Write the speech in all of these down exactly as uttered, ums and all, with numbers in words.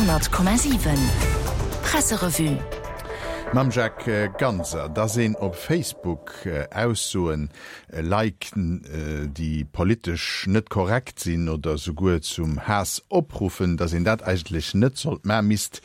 Honnert Komma siwen Presserevue. Mam Jacques Ganser, Dass een op Facebook Aussoen liked, déi politesch net korrekt sinn oder souguer zum Haass opruffen, dass een dat eigentlech net sollt man, misst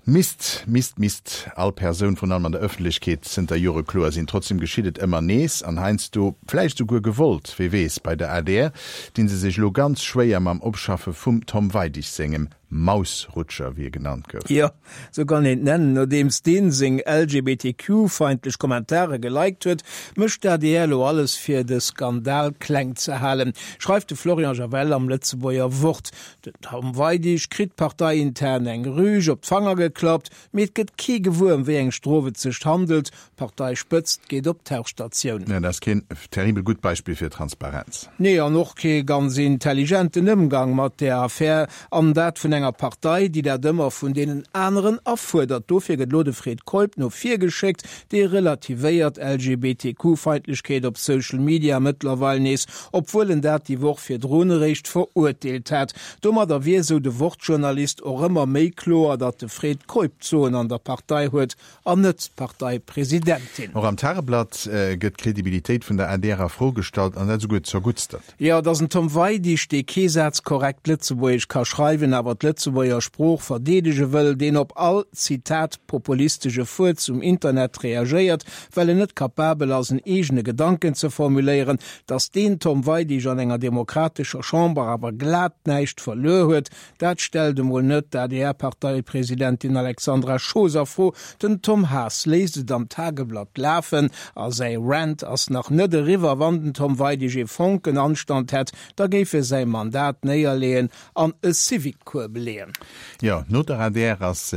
misst misst misst all Persoun, virun allem an der Ëffentlechkeet, zënter Jore kloer sinn. Trotzdem geschitt et ëmmer nees an heiansdo vläicht souguer gewollt, wie weess. Bei der adr dinn se sech elo ganz schwéier mam Opschaffe vum Tom Weidig sengem Mausrutscher, wéi e genannt gouf. Jo, sou kann een et nennen. Nodeems deen seng L G B T Q-feindlech Kommentare geliked huet, mécht d'A D R elo alles fir de Skandal kleng ze halen, schreift de Florian Javel am Lëtzebuerger Wort. Den Tom Weidig kritt parteiintern eng Rüg op d'Fanger geklappt, mee et gëtt kee gewuer ëm wéi eng Strof et sech handelt. D'Parteispëtzt geet op d'Tauchstatioun. Dat ass keen terribel gutt Beispill fir Transparenz. Nee, an och kee ganz intelligenten Ëmgang mat där Affär, an dat vun enger Partei, déi dat ëmmer vun deenen aneren afuerdert. Dofir gëtt lo de Fred Keup no vir geschéckt, dee relativéiert L G B T Q-Feindlechkeet op Social Media mëttlerweil nees, obwuel en dat déi Woch virdrun eréischt verurteelt hat. Domadder wier, sou de Wort-Journalist, och ëmmer méi kloer, datt de Fred Keup d'Soen an der Partei huet an net d'Parteipresidentin. Och am Tageblatt gëtt d'Kredibilitéit vun der A D R a Fro gestallt, an dat esouguer zerguttstert. Jo, dass en Tom Weidig, dee kee Saz korrekt Lëtzebuergesch ka schreiwen, awer d'Lëtzebuerger Sprooch verdeedege wëll, deen op all, Zitat, populistesche Fuerz um Internet reagéiert, well en net kapabel ass, en eegene Gedanken ze formuléieren, dass deen Tom Weidig an enger demokratescher Chamber awer glat näischt verluer huet, dat stellt emol net d'A D R-Parteipresidentin Alexandra Schoos a Fro. Den Tom Haas léisst et am Tageblatt lafen a säi Rant ass nach net eriwwer. Wann den Tom Weidig ee Fonken Anstand hätt, da géif e säi Mandat néierleeën an e Civic-Cours beleeën. Jo, no der A D R ass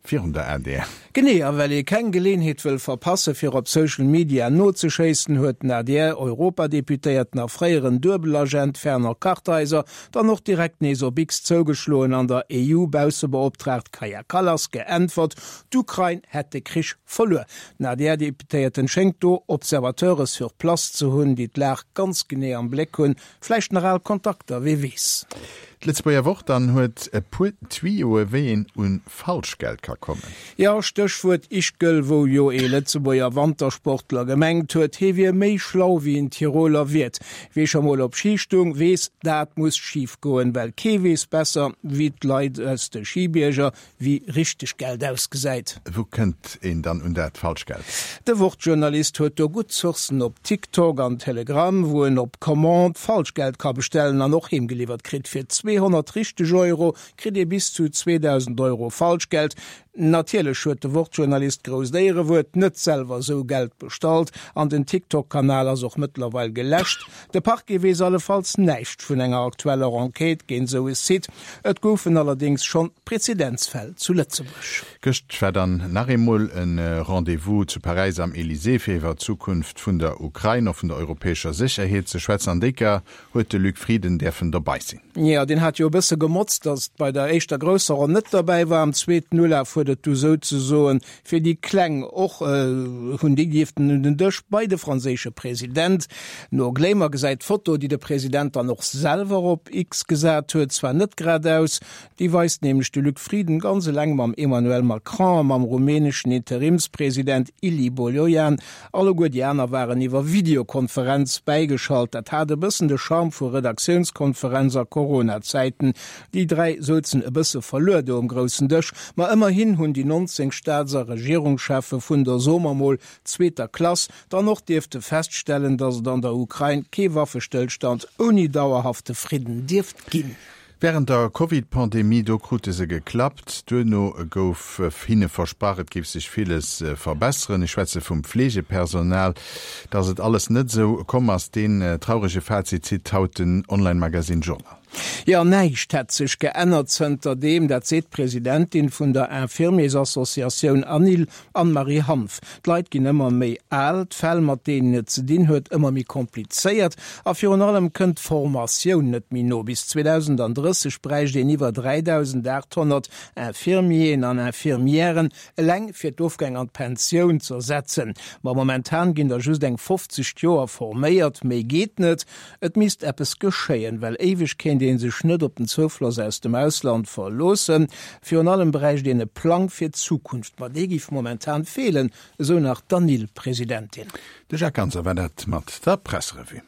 virun der A D R. Genee, a well ee keng Geleenheet wëll verpasse fir op Social Media nozeschéissen, huet den A D R-Europadeputéierten a fréieren Duebelagent Fernand Kartheiser dann och direkt nees op X zougeschloen an der E U-Baussebeoptraagt Kaja Kallas geäntwert, d'Ukrain hätt de Krich verluer. Den A D R-Deputéierten schéngt do Observateure sur place ze hunn, déi d'Lag ganz genee am Bléck hunn, vläicht nach al Kontakter, wee weess. D'Lëtzebuerger Wort dann huet e puer Tuyauxe, wéi een un Falschgeld ka kommen. Jo, Stéchwuert Ischgl, wou jo ee Lëtzebuerger Wantersportler gemengt huet, hie wier méi schlau wéi en Tiroler Wiert. Wie scho mol op Schi stung, weess, dat muss schif goen, well kee weess besser wéi d'Leit aus de Schibierger, wéi richteg Geld ausgesäit. Wou kënnt een dann un dat Falschgeld? De Wort-Journalist huet do gutt Sourcen op TikTok an Telegram, wou en op Commande Falschgeld ka bestellen an och heemgeliwwert kritt. Fir zweehonnert richteg Euro kritt ee bis zu zweedausend Euro Falschgeld. Natierlech huet de Wort-Journalist, grousst Éierewuert, net selwer esou Geld bestallt an den TikTok-Kanal ass och mëttlerweil geläscht. De Parquet weess allefalls näischt vun enger aktueller Enquête géint esou e Site. Et goufen allerdéngs schonn Prezedenzfäll zu Lëtzebuerg. Gëscht war dann nach eemol e Rendez-vous zu Paräis am Elysée fir iwwer d'Zukunft vun der Ukrain a vun der europäescher Sécherheet ze schwätzen. An déi Kéier huet de Luc Frieden däerfen dobäi sinn. Jo, deen hat jo e bësse gemotzt, datt bei der éischter grousser Ronn net derbäi war. Am zweeten Ulaf huet et du souzesoen fir déi Kleng och hunn déi dierften un den Dësch bei de franséische President. No Glamour gesäit d'Foto, déi de President dann och selwer op X gesat huet, zwar net grad aus. Déi weist nämlech de Luc Frieden ganz eleng mam Emmanuel Macron a mam rumäneschen Interimspresident Ilie Bolojan. Alleguer déi aner waren iwwer Videokonferenz bäigeschalt. Dat hat e bëssen de Charme vu Redaktiounskonferenz a Corona-Zäiten. Déi dräi souzen e bësse verluer do um groussen Dësch. Ma ëmmerhin hunn déi nonzéng Staats a Regierungscheffe vun der, soe mer mol, zweeter Klass dann och dierfte feststellen, datt et an der Ukrain kee Waffestëllstand ouni dauerhafte Fridden dierft ginn. Wärend der Covid-Pandemie, do krute se geklappt. Duerno gouf hinne versprach, et géif sech villes verbesseren. Ech schwätze vum Fleegepersonal. Datt et alles net esou komm ass, deen traurege Fazit zitt haut den Online-Magazine Journal. Jo, näischt hätt sech geännert zënter deem, dat seet d'Presidentin vun der Infirmiersassociatioun ANIL, Anne-Marie Hanff. D'Leit ginn ëmmer méi al, d'Fäll mat deenen et ze dinn huet ëmmer méi komplizéiert a virun allem kënnt d'Formatioun net méi no. Bis zweedausendandrësseg bräicht een iwwer dräidausendaathonnert Infirmieren an Infirmièren, eleng fir d'Ofgäng an d'Pensioun z'ersetzen. Ma momentan ginn der just eng fofzeg d'Joer forméiert, méi geet net. Et misst eppes geschéien, well éiweg kéint ee sech net op den Zoufloss aus dem Ausland verloossen. Virun allem bräicht een e Plang fir d'Zukunft, ma dee géif momentan feelen, esou nach d'ANIL-Presidentin. De Jacques Ganser war dat mat der Presserevue.